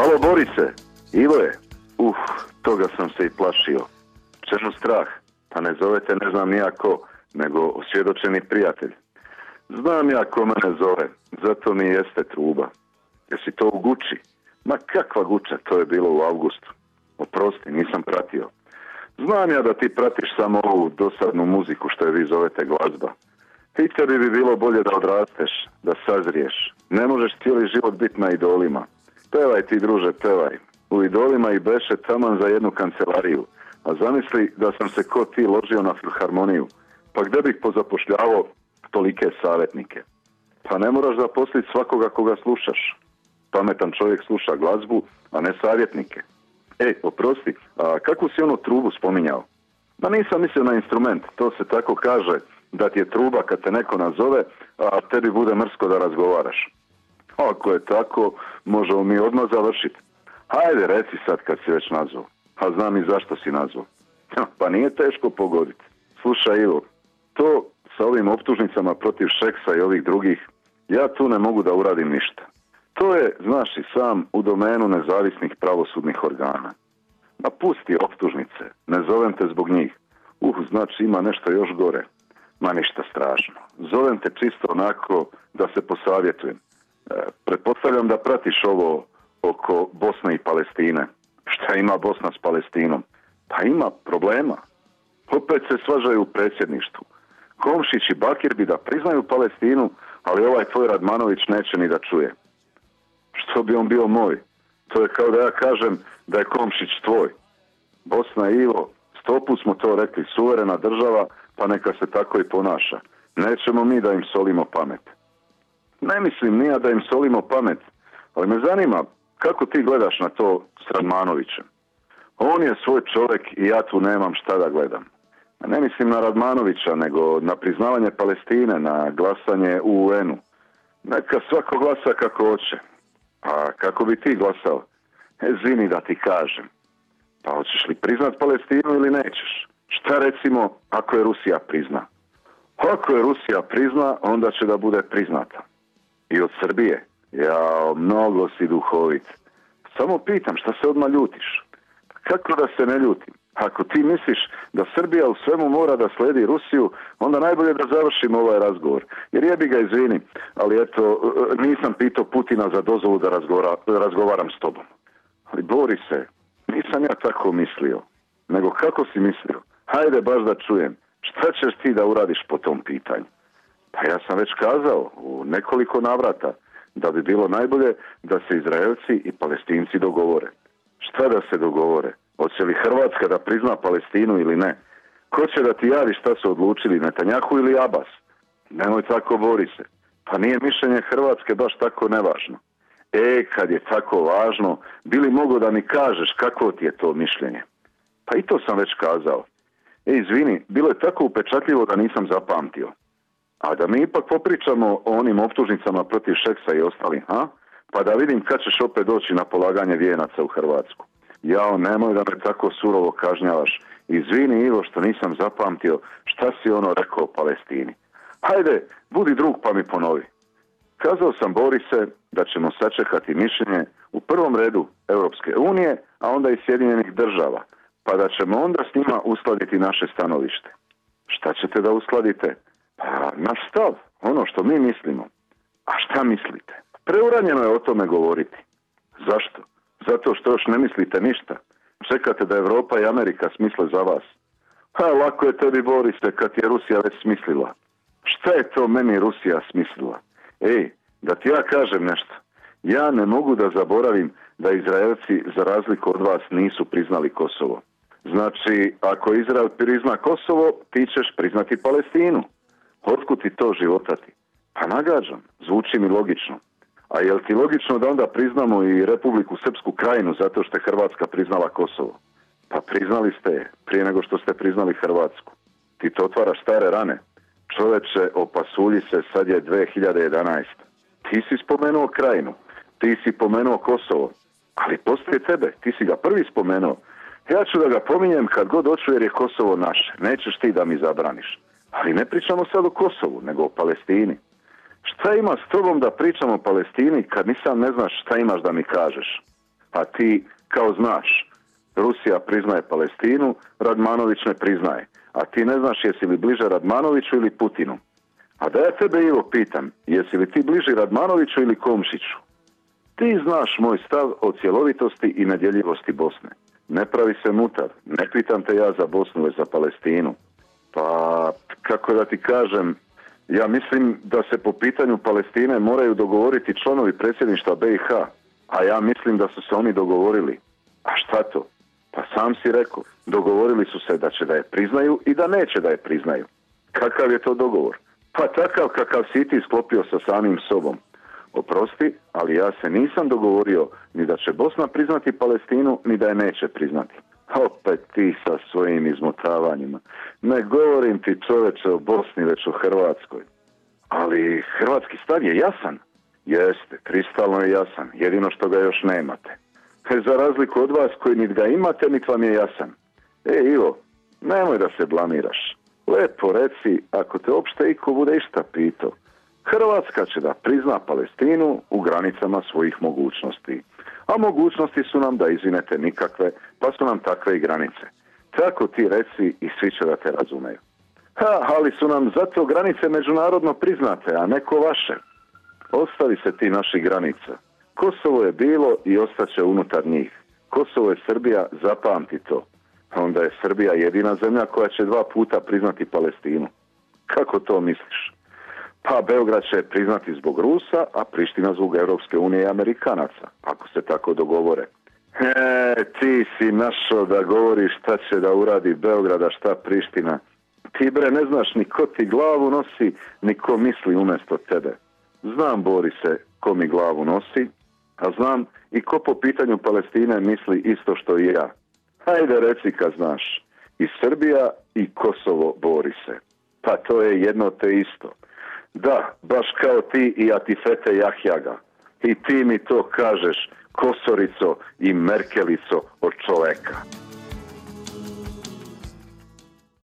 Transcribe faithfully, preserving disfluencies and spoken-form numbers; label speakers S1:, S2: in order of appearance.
S1: Halo Borise, Ivo je. Uf, toga sam se i plašio. Čemu strah? Pa ne zovete ne znam nijako, nego osvjedočeni prijatelj. Znam ja ko mene zove, zato mi jeste truba. Jesi to u Guči? Ma kakva Guča, to je bilo u avgustu. Oprosti, nisam pratio. Znam ja da ti pratiš samo ovu dosadnu muziku što je vi zovete glazba. I tebi bi bilo bolje da odrasteš, da sazriješ. Ne možeš cijeli život biti na idolima. Pevaj ti, druže, pevaj. U idolima i beše taman za jednu kancelariju. A zamisli da sam se ko ti ložio na filharmoniju. Pa gdje bih pozapošljavao tolike savjetnike? Pa ne moraš zaposliti svakoga koga slušaš. Pametan čovjek sluša glazbu, a ne savjetnike. Ej, oprosti, a kakvu si onu trubu spominjao? Ma nisam mislio na instrument, to se tako kaže, da ti je truba kad te neko nazove, a tebi bude mrsko da razgovaraš. Ako je tako, možemo mi odmah završiti. Hajde, reci sad kad si već nazvao. A znam i zašto si nazvao. Pa nije teško pogoditi. Slušaj Ivo, to sa ovim optužnicama protiv Šeksa i ovih drugih, ja tu ne mogu da uradim ništa. To je, znaš i sam, u domenu nezavisnih pravosudnih organa. Ma pusti optužnice, ne zovem te zbog njih. Uh, znači ima nešto još gore. Ma ništa strašno. Zovem te čisto onako da se posavjetujem. E, pretpostavljam da pratiš ovo oko Bosne i Palestine. Šta ima Bosna s Palestinom? Pa ima problema. Opet se svađaju u predsjedništvu. Komšić i Bakir bi da priznaju Palestinu, ali ovaj tvoj Radmanović neće ni da čuje. Što bi on bio moj? To je kao da ja kažem da je Komšić tvoj. Bosna i Ivo, sto put smo to rekli, suverena država, pa neka se tako i ponaša. Nećemo mi da im solimo pamet. Ne mislim nija da im solimo pamet, ali me zanima kako ti gledaš na to s Radmanovićem. On je svoj čovjek i ja tu nemam šta da gledam. Ne mislim na Radmanovića, nego na priznavanje Palestine, na glasanje u U N-u. Neka svako glasa kako hoće. Pa kako bi ti glasao? E, zini da ti kažem. Pa hoćeš li priznat Palestinu ili nećeš? Šta recimo ako je Rusija prizna? Ako je Rusija prizna, onda će da bude priznata. I od Srbije. Ja, mnogo si duhovit. Samo pitam, šta se odmah ljutiš? Kako da se ne ljutim? Ako ti misliš da Srbija u svemu mora da sledi Rusiju, onda najbolje da završimo ovaj razgovor. Jer jebi ga, izvini, ali eto, nisam pitao Putina za dozvolu da razgovara, razgovaram s tobom. Ali bori se, nisam ja tako mislio. Nego kako si mislio? Hajde baš da čujem. Šta ćeš ti da uradiš po tom pitanju? Pa ja sam već kazao u nekoliko navrata da bi bilo najbolje da se Izraelci i Palestinci dogovore. Šta da se dogovore? Hoće li Hrvatska da prizna Palestinu ili ne? Ko će da ti javi šta su odlučili, Netanjahu ili Abbas? Nemoj tako, bori se. Pa nije mišljenje Hrvatske baš tako nevažno. E, kad je tako važno, bili mogo da mi kažeš kako ti je to mišljenje? Pa i to sam već kazao. E, izvini, bilo je tako upečatljivo da nisam zapamtio. A da mi ipak popričamo o onim optužnicama protiv Šeksa i ostalih, ha? Pa da vidim kad ćeš opet doći na polaganje vijenaca u Hrvatsku. Jao, nemoj da me tako surovo kažnjavaš. Izvini Ivo što nisam zapamtio šta si ono rekao o Palestini. Hajde, budi drug pa mi ponovi. Kazao sam Borise da ćemo sačekati mišljenje u prvom redu Europske unije, a onda i Sjedinjenih država, pa da ćemo onda s njima uskladiti naše stanovište. Šta ćete da uskladite? Pa naš stav, ono što mi mislimo. A šta mislite? Preuranjeno je o tome govoriti. Zašto? Zato što još ne mislite ništa. Čekate da Europa i Amerika smisle za vas. Pa lako je tebi, Borise, kad je Rusija već smislila. Šta je to meni Rusija smislila? Ej, da ti ja kažem nešto. Ja ne mogu da zaboravim da Izraelci, za razliku od vas, nisu priznali Kosovo. Znači, ako Izrael prizna Kosovo, ti ćeš priznati Palestinu. Otkud ti to životati? Pa nagađam, zvuči mi logično. A je li ti logično da onda priznamo i Republiku Srpsku Krajinu zato što je Hrvatska priznala Kosovo? Pa priznali ste je prije nego što ste priznali Hrvatsku. Ti to otvaraš stare rane. Čoveče, opasulji se, sad je dve hiljade jedanaesta. Ti si spomenuo Krajinu, ti si pomenuo Kosovo, ali poslije tebe, ti si ga prvi spomenuo. Ja ću da ga pominjem kad god hoću jer je Kosovo naše. Nećeš ti da mi zabraniš. Ali ne pričamo sad o Kosovu, nego o Palestini. Šta ima s tobom da pričamo o Palestini kad nisam ne znaš šta imaš da mi kažeš? Pa ti kao znaš, Rusija priznaje Palestinu, Radmanović ne priznaje. A ti ne znaš jesi li bliže Radmanoviću ili Putinu. A da ja tebe, Ivo, pitam, jesi li ti bliži Radmanoviću ili Komšiću? Ti znaš moj stav o cjelovitosti i nedjeljivosti Bosne. Ne pravi se mutav, ne pitam te ja za Bosnu, već za Palestinu. Pa, kako da ti kažem, ja mislim da se po pitanju Palestine moraju dogovoriti članovi predsjedništva B i H, a ja mislim da su se oni dogovorili. A šta to? Pa sam si rekao, dogovorili su se da će da je priznaju i da neće da je priznaju. Kakav je to dogovor? Pa takav kakav si ti sklopio sa samim sobom. Oprosti, ali ja se nisam dogovorio ni da će Bosna priznati Palestinu, ni da je neće priznati. Opet ti sa svojim izmotavanjima. Ne govorim ti, čoveče, o Bosni, već o Hrvatskoj. Ali hrvatski stav je jasan. Jeste, kristalno je jasan, jedino što ga još nemate. Za razliku od vas koji niti ga imate, niti vam je jasan. E, Ivo, nemoj da se blamiraš. Lepo reci, ako te opšte iko bude išta pitao. Hrvatska će da prizna Palestinu u granicama svojih mogućnosti. A mogućnosti su nam da izvinete nikakve, pa su nam takve i granice. Tako ti reci i svi će da te razumeju. Ha, ali su nam zato granice međunarodno priznate, a neko vaše. Ostavi se ti naših granica. Kosovo je bilo i ostaće unutar njih. Kosovo je Srbija, zapamti to. Onda je Srbija jedina zemlja koja će dva puta priznati Palestinu. Kako to misliš? Pa Beograd će priznati zbog Rusa, a Priština zbog Europske unije i Amerikanaca, ako se tako dogovore. E, ti si našao da govoriš šta će da uradi Beograd, a šta Priština. Ti, bre, ne znaš ni ko ti glavu nosi, ni ko misli umjesto tebe. Znam, Borise, ko mi glavu nosi, a znam i ko po pitanju Palestine misli isto što i ja. Hajde reci kad znaš. I Srbija i Kosovo, Borise. Pa to je jedno te isto. Da, baš kao ti i Atifete Jahjaga. I ti mi to kažeš, Kosorico i Merkelico od čoveka.